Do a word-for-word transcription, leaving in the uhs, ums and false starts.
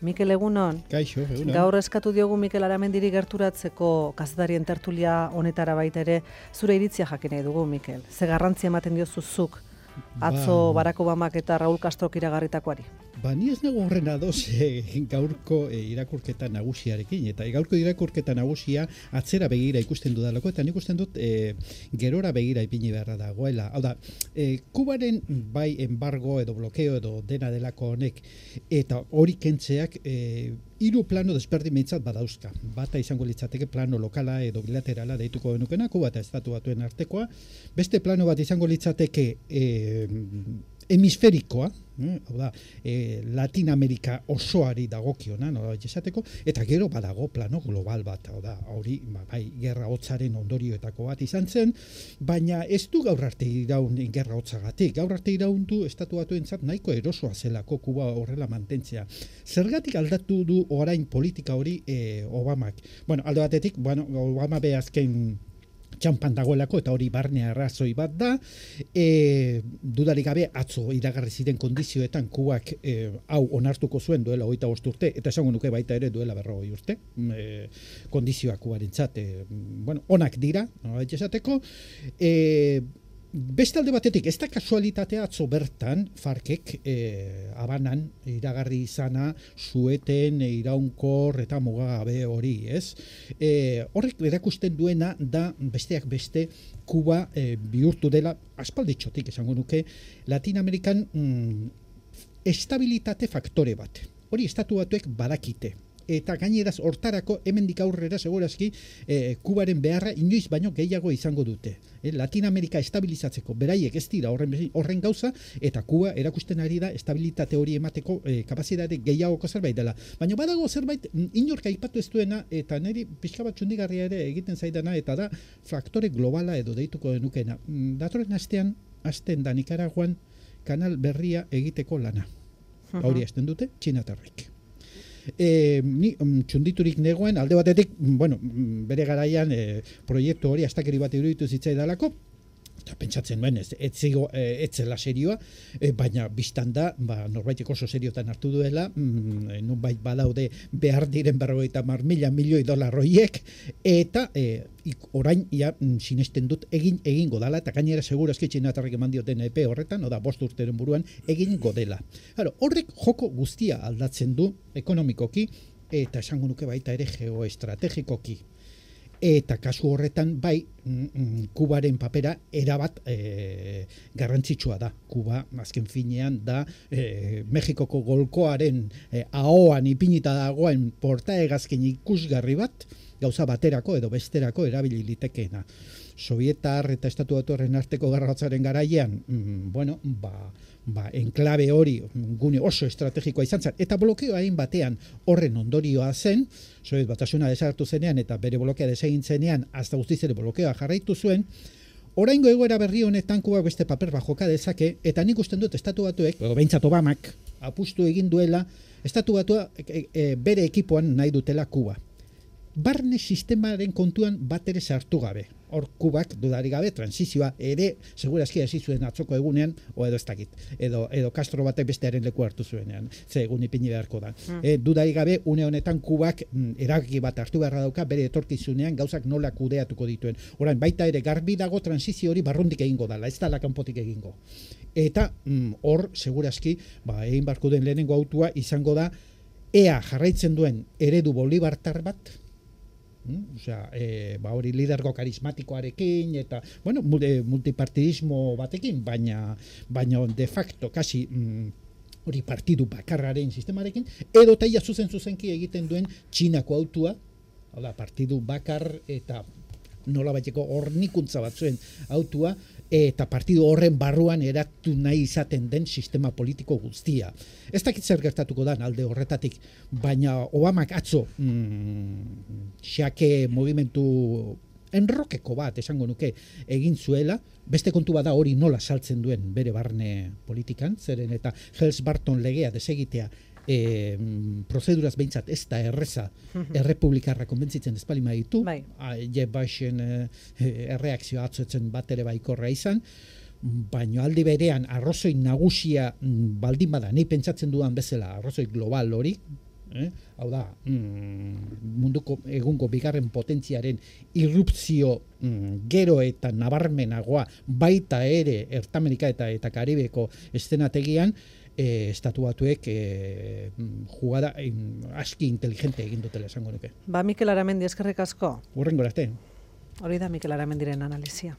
Mikel, egunon. Kaixo, egunon. Gaur eskatu diogu Mikel Aramendiri gerturatzeko kazetarien tertulia honetara baita ere zure iritzia jakin nahi dugu, Mikel. Ze garrantzia ematen diozu zuk atzo ba, Barack Obamak eta Raul Castrok iragarritakoari? Ba, ni ez nago horren adoz eh, gaurko eh, irakurketa nagusiarekin, eta gaurko irakurketa nagusia atzera begira ikusten dudalako, eta nik ikusten dut eh, gerora begira ipini beharra dagoela. Hau da, eh, Kubaren bai embargo edo blokeo edo dena delako honek, eta hori kentzeak eh, hiru plano desberdimentzat badauzka. Bata izango litzateke plano lokala edo bilaterala deituko genukena, Kuba eta Estatu Batuen artekoa. Beste plano bat izango litzateke eh, hemisferikoa, eh, hau da, eh, Latin Amerika osoari dagokiona, no, esateko, eta gero badago plano global bat, hau da, hori, ba, bai, gerra hotzaren ondorioetako bat izan zen, baina ez du gaur arte iraun gerra hotzagatik. Gaur arte iraun du Estatu Batuentzat nahiko erosoa zelako Kuba horrela mantentzea. Zergatik aldatu du orain politika hori eh, Obamak? Bueno, alde batetik, bueno, Obama be azken txampan dagoelako, eta hori barne arrazoi bat da, e, dudarik gabe atzo iragarri ziren kondizioetan Kubak e, hau onartuko zuen duela hogeita bost urte, eta esango nuke baita ere duela berrogei urte, e, kondizioak Kubarentzat, e, bueno, onak dira, no, esateko, e, beste alde batetik, ez da kasualitatea atzo bertan, Farkek eh, Habanan iragarri izana zueten iraunkor eta mugagabe hori, ez? Eh, horrek erakusten duena da besteak beste Kuba eh, bihurtu dela, aspalditxotik esango nuke, Latin Amerikan mm, estabilitate faktore bat. Hori Estatu Batuek badakite. Eta gaineraz hortarako hemendik aurrera segurazki eh, Kubaren beharra inoiz baino gehiago izango dute. Eh, Latin Amerika estabilizatzeko beraiek ez dira horren, horren gauza, eta Kuba erakusten ari da estabilitate hori emateko eh, kapazitate gehiagoko zerbait dela. Baina badago zerbait inork aipatu ez duena, eta niri pixka bat txundigarria ere egiten zaidana, eta da faktore globala edo deituko denukena. Datorren astean, asten da Nikaraguan kanal berria egiteko lana. Uh-huh. Hori hasten dute, txinatarrek. E, ni um, txunditurik negoen, alde batetik, bueno, bere garaian e, proiektu hori astakeri bat iruditu zitzaidalako, eta pentsatzen nuen, ez, ez, zigo, e, ez zela serioa, e, baina biztan da, ba, norbaitek oso seriotan hartu duela, mm, nunbait badaude behar diren berrogeita mar mila milioi dolar horiek, eta e, ik, orain ja, sinesten dut egin egingo dela, eta gainera segurazki txinatarrek eman dioten epe horretan, oda bost urteren buruan egingo dela. Claro, horrek joko guztia aldatzen du ekonomikoki, eta esango nuke baita ere geoestrategikoki. Eta kasu horretan bai mm, Kubaren papera erabat e, garrantzitsua da. Kuba azken finean da e, Mexikoko golkoaren e, ahoan ipinita dagoen portaegazkin ikusgarri bat, gauza baterako edo besterako erabili litekeena. Sovietar eta Estatu Batuaren arteko gerra hotzaren garaian, mm, bueno, ba, ba, enklabe hori gune oso estrategikoa izan zen, eta blokeo hain batean horren ondorioa zen, Soviet Batasuna desagertu zenean eta bere blokea desegin zenean, hasta guztiz ere blokeoa jarraitu zuen. Oraingo egoera berri honetan Kuba beste paper bat joka dezake, eta nik usten dut Estatu Batuek, edo behintzat Obamak, apustu egin duela, Estatu Batua e, e, bere ekipoan nahi dutela Kuba. Barne sistemaren kontuan bat ere sartu gabe. Hor Kubak dudarik gabe transizioa ere segurazki hasi zuen atzoko egunean, o edo ez dakit, edo, edo Castro batek bestearen leku hartu zuenean, ze egun ipini beharko da. Mm. E, dudarik gabe une honetan Kubak mm, erabaki bat hartu beharra dauka bere etorkizunean gauzak nola kudeatuko dituen. Orain baita ere garbi dago transizio hori barrundik egingo dala, ez dala kanpotik egingo. Eta mm, hor segurazki ba, egin barko den lehenengo autua izango da ea jarraitzen duen eredu bolibartar bat, Mm, osea, e, ba hori lidergo karismatikoarekin eta bueno, multipartidismo batekin, baina baina de facto kasi mm, hori partidu bakarraren sistemarekin, edo taia zuzen zuzenki egiten duen Txinako autua, hala partidu bakar eta nola baiteko hornikuntza batzuen autua, eta partidu horren barruan eratu nahi izaten den sistema politiko guztia. Ez dakit zer gertatuko da alde horretatik, baina Obamak atzo mm, xake movimentu enrokeko bat esango nuke egin zuela, beste kontu bada hori nola saltzen duen bere barne politikan, zeren eta Helms-Burton legea desegitea E, prozeduraz behintzat ez da erreza errepublikarra konbentzitzen ez palima ditu, bai. Jeff Bushen e, erreakzioa atzoetzen bat ere baikorra izan, baina aldi berean arrozoi nagusia baldin bada, nahi pentsatzen dudan bezala arrozoi global hori, eh? Hau da, mm, munduko egungo bigarren potentziaren irrupzio mm, gero eta nabarmenagoa baita ere Ertamerika eta eta Karibeko eszenategian, E, estatu batuek e, jugada e, aski inteligente egin dutela esango nuke. Ba, Mikel Aramendi, eskerrik asko. Hurrengo arte. Hori da Mikel Aramendiren analizia.